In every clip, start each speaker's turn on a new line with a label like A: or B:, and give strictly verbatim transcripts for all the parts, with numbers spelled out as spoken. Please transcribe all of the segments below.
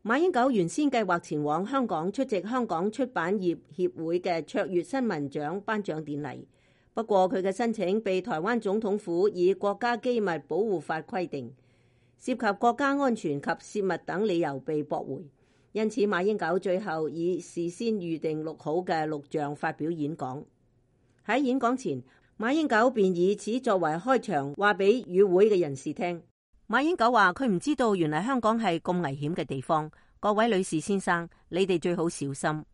A: 馬英九原先計劃前往香港出席香港出版業協會嘅卓越新聞獎頒獎典禮，不過佢嘅申請被台灣總統府以國家機密保護法規定，涉及國家安全及泄密等理由被駁回，因此馬英九最後以事先預定錄好嘅錄像發表演講。喺演講前，馬英九便以此作為開場，話俾與會嘅人士聽。馬英九話佢唔知道原來香港係咁危險嘅地方，各位女士先生，你哋最好小心。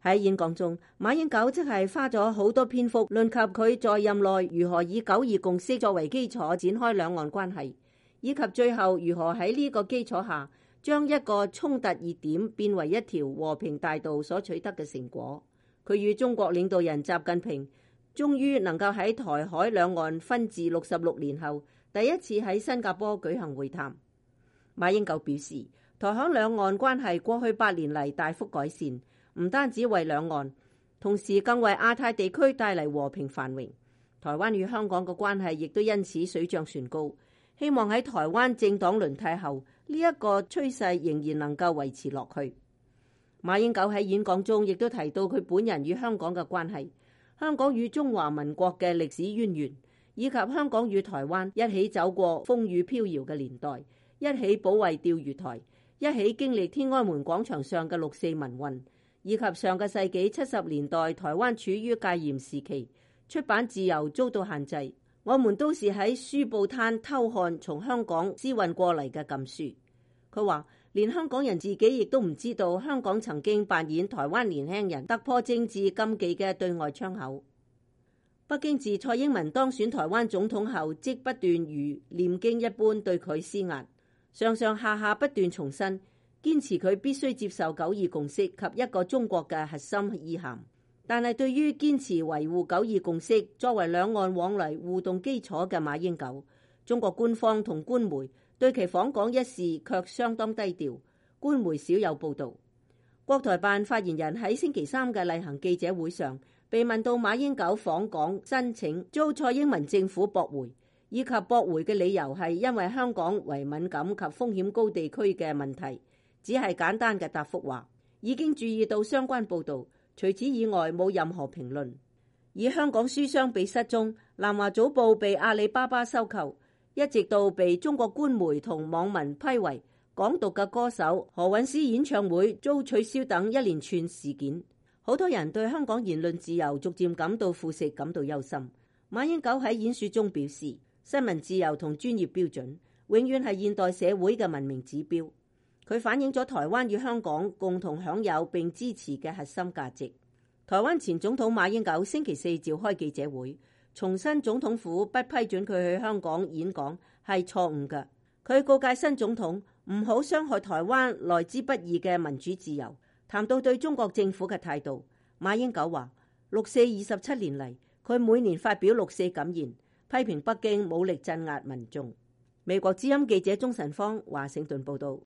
A: 喺演講中，馬英九即係花咗好多篇幅論及佢在任內如何以九二共識作為基礎展開兩岸關係，以及最後如何喺呢個基礎下將一個衝突熱點變為一條和平大道所取得嘅成果。佢與中國領導人習近平終於能夠喺台海兩岸分治六十六年後第一次喺新加坡舉行會談。馬英九表示，台海兩岸關係過去八年嚟大幅改善，唔單止為兩岸，同時更為亞太地區帶嚟和平繁榮。台灣與香港嘅關係亦都因此水漲船高。希望喺台灣政黨輪替後，呢一個趨勢仍然能夠維持落去。馬英九喺演講中亦都提到佢本人與香港嘅關係，香港與中華民國嘅歷史淵源，以及香港與台灣一起走過風雨飄搖嘅年代，一起保衛釣魚台，一起經歷天安門廣場上嘅六四民運，以及上個世紀七十年代台灣處於戒嚴時期，出版自由遭到限制，我們都是喺書報攤偷看從香港私運過嚟嘅禁書。佢話連香港人自己亦都唔知道香港曾經扮演台灣年輕人突破政治禁忌嘅對外窗口。北京自蔡英文當選台灣總統後，即不斷如念經一般對佢施壓，上上下下不斷重申堅持佢必須接受九二共識及一個中國嘅核心意涵。但係對於堅持維護九二共識作為兩岸往來互動基礎嘅馬英九，中國官方同官媒對其訪港一事卻相當低調，官媒少有報導。國台辦發言人喺星期三嘅例行記者會上被問到馬英九訪港申請遭蔡英文政府駁回，以及駁回嘅理由係因為香港為敏感及風險高地區嘅問題，只係簡單嘅答覆話已經注意到相關報導，除此以外冇任何評論。以香港書商被失蹤、南華早報被阿里巴巴收購，一直到被中國官媒同網民批為港獨嘅歌手何韻詩演唱會遭取消等一連串事件，好多人對香港言論自由逐漸感到腐蝕感到憂心。馬英九喺演說中表示，新聞自由同專業標準永遠係現代社會嘅文明指標，佢反映咗台灣與香港共同享有並支持嘅核心價值。台灣前總統馬英九星期四召開記者會，重申總統府不批准佢去香港演講係錯誤嘅。佢告誡新總統唔好傷害台灣來之不易嘅民主自由。談到對中國政府嘅態度，馬英九話六四二十七年嚟，佢每年發表六四感言，批評北京武力鎮壓民眾。美國之音記者鍾晨芳華盛頓報道。